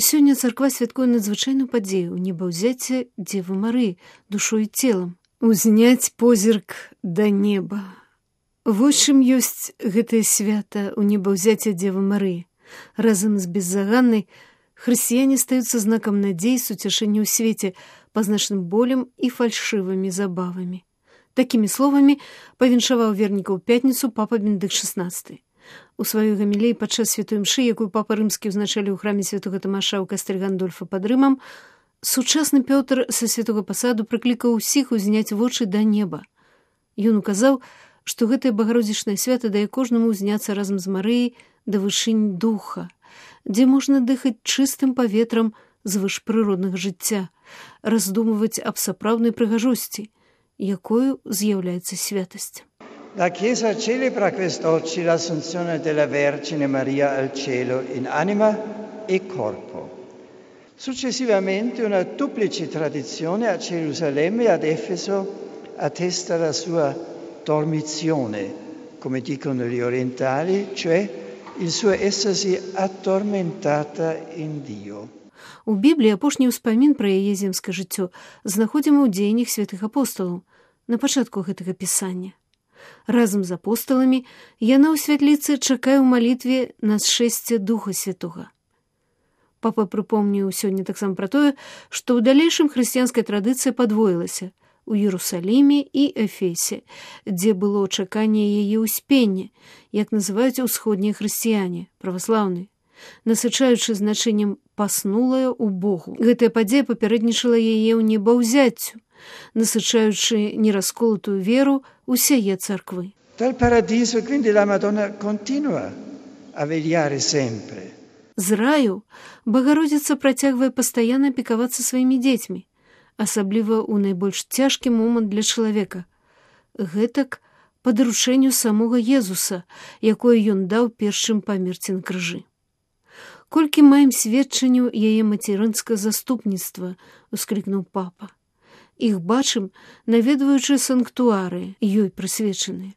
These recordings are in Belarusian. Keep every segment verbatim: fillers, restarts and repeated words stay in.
Сёння царква святкуе надзвычайную падзею небаўзяцця Дзевы Марыі душой і целам. Узняць позірк да неба. Вось чым ёсць гэтае свята ў небаўзяцця Дзевы Марыі. Разам з беззаганнай хрысціяне стаюцца знакам надзеі і суцяшэння ў свеце, пазначаным болем і фальшывымі забавамі. Такімі словамі павіншаваў вернікаў у пятніцу папа Бенедыкт шаснаццаты. У сваёй гамілеі падчас святой імшы, якую папа рымскі ўзначаліў у храме святога Тамаша ў кастэль Гандольфа пад Рымам, сучасны Пётр са святога пасаду прыклікаў усіх узняць вочы да неба. Ён указаў, што гэтае багародзічнае свята дае кожнаму ўзняцца разам з Марыяй да вышынь духа, дзе можна дыхаць чыстым паветрам звышпрыроднага жыцця, раздумваць аб сапраўднай прыгажосці, якою з'яўляецца святасць. La Chiesa celebra quest'oggi l'Assunzione della Vergine Maria al cielo in anima e corpo. Successivamente una duplice tradizione a Gerusalemme e ad Efeso attesta la sua dormizione, come dicono gli orientali, cioè il suo essersi addormentata in Dio. У Бібліі апошні ўспамін пра яе земскае жыццё знаходзім у дзеяннях святых апосталаў на пачатку гэтага пісання. Разам з апосталамі яна ў святліцы чакае ў малітве на зшэсце Духа Святога. Папа прыпомніў сёння таксама пра тое, што ў далейшым хрысціянская традыцыя падвоілася у Іерусаліме і Эфесе, дзе было чаканне яе ўспення, як называюць усходнія хрысціяне, праваслаўныя, насычаючы значэннем «паснулая ў Богу». Гэтая падзея папярэднічала яе ў небаўзяццю, насычаючы нерасколатую веру усяе царквы. Dal paradiso quindi la Madonna continua a vegliare sempre. З раю Багародзіца працягвае пастаянна апекавацца сваімі дзецьмі, асабліва ў найбольш цяжкі момант для чалавека. Гэтак па даручэнню самога Езуса, якое ён даў перш чым памерці на крыжы. Колькі маем сведчанняў яе мацярынскага заступніцтва, усклікнуў папа. Іх бачым, наведваючы санктуары, ёй прысвечаныя.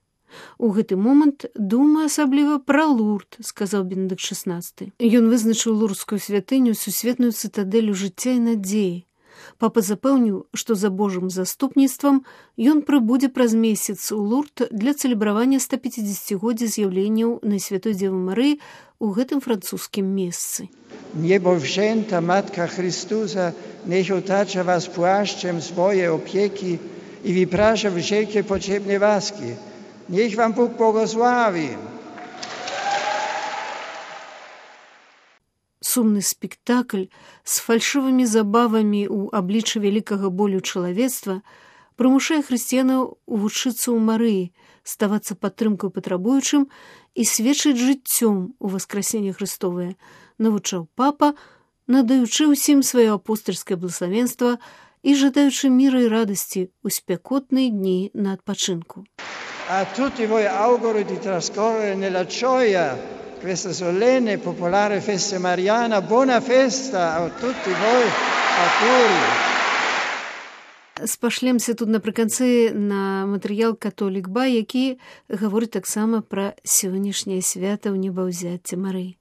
У гэты момант думаю асабліва пра Лурд, сказаў Бенедыкт шаснаццаты. Ён вызначыў лурдскую святыню сусветную цытадэлю жыцця і надзеі. Папа запэўніў, што за Божым заступніцтвам ён прыбудзе праз месяц у Лурд для цэлебравання стапяцідзесяцігоддзя з'яўленняў Найсвятой Дзевы Марыі у гэтым французскім месцы. Niebowzięta Matka Chrystusa, niech otacza was płaszczem swoje opieki i wyprasza wszelkie potrzebne łaski. Niech wam Bóg błogosławi. Сумны спектакль з фальшывымі забавамі ў абліччы вялікага болю чалавецтва прымушае хрысціянаў вучыцца ў Марыі, ставацца падтрымкай патрабуючым і сведчыць жыццём у васкрасенне Хрыстовае, навучаў папа, надаючы ўсім сваё апостальскае благословенства і жадаючы міра і радасці ў спякотныя дні на адпачынку. A tutti voi auguro di trascorrere nella gioia questa solenne popolare festa mariana. Buona festa a tutti voi, auguri. Спашлемся тут напрыканцы на матэрыял «Католік Ба», які гаворыць таксама пра сённяшняе свята ў небаўзяцця Марыі.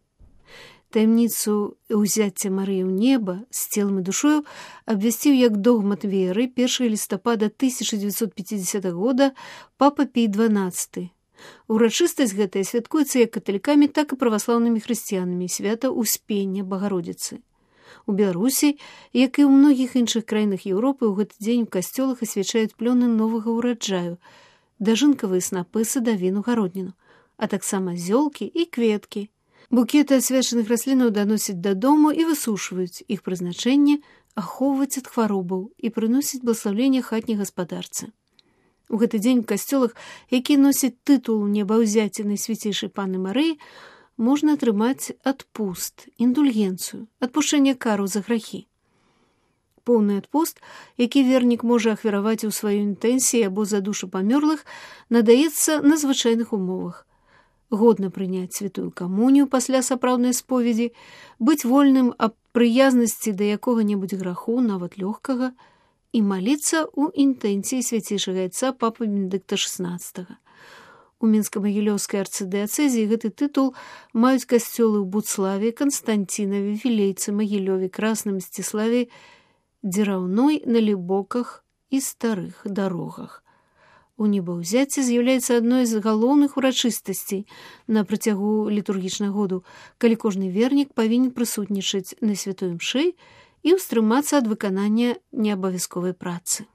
Таямніцу ўзяцця Марыі ў неба з целам і душою абвясціў як догмат веры першага лістапада тысяча дзевяцьсот пяцідзесятага года папа Пій дванаццаты. Урачыстасць гэтая святкуецца як каталікамі, так і праваслаўнымі хрысціянамі, свята Успення Багародзіцы. У Беларусі, як і ў многіх іншых краінах Еўропы, у гэты дзень у касцёлах асвячаюць плёны новага ўраджаю, дажынкавыя снапы, садавіну, гародніну, а таксама зёлкі і кветкі. Букеты асвячаных раслінаў даносяць дадому і высушваюць. Іх прызначэнне ахоўваць ад хваробаў і прыносіць бласлаўленне хатняй гаспадарцы. У гэты дзень у касцёлах, які носяць тытул небаўзяцця Найсвяцейшай Панны Марыі, можна атрымаць адпуст, індульгенцыю, адпушчэнне кару за грахі. Поўны адпуст, які вернік можа ахвяраваць у сваёй інтэнсіі або за душу памёрлых, надаецца на звычайных умовах. Годна прыняць святую камунію пасля сапраўднай споведзі, быць вольным аб прыязнасці да якога-небудзь граху, нават лёгкага, і маліцца ў інтэнцыі свяцейшага айца папы Бенедыкта шаснаццатага. У Мінска-Магілёўскай арцыдыяцэзіі гэты тытул маюць касцёлы ў Буцлаве, Канстантінаве, Вілейцы, Магілёве, Красным, Мсціславе, Дзераўной, Налібоках і Старых Дарогах. У небаўзяцці з'яўляецца адной з галоўных урачыстасцей на працягу літургічнага году, калі кожны вернік павінен прысутнічаць на святой імшы і ўстрымацца ад выканання неабавязковай працы.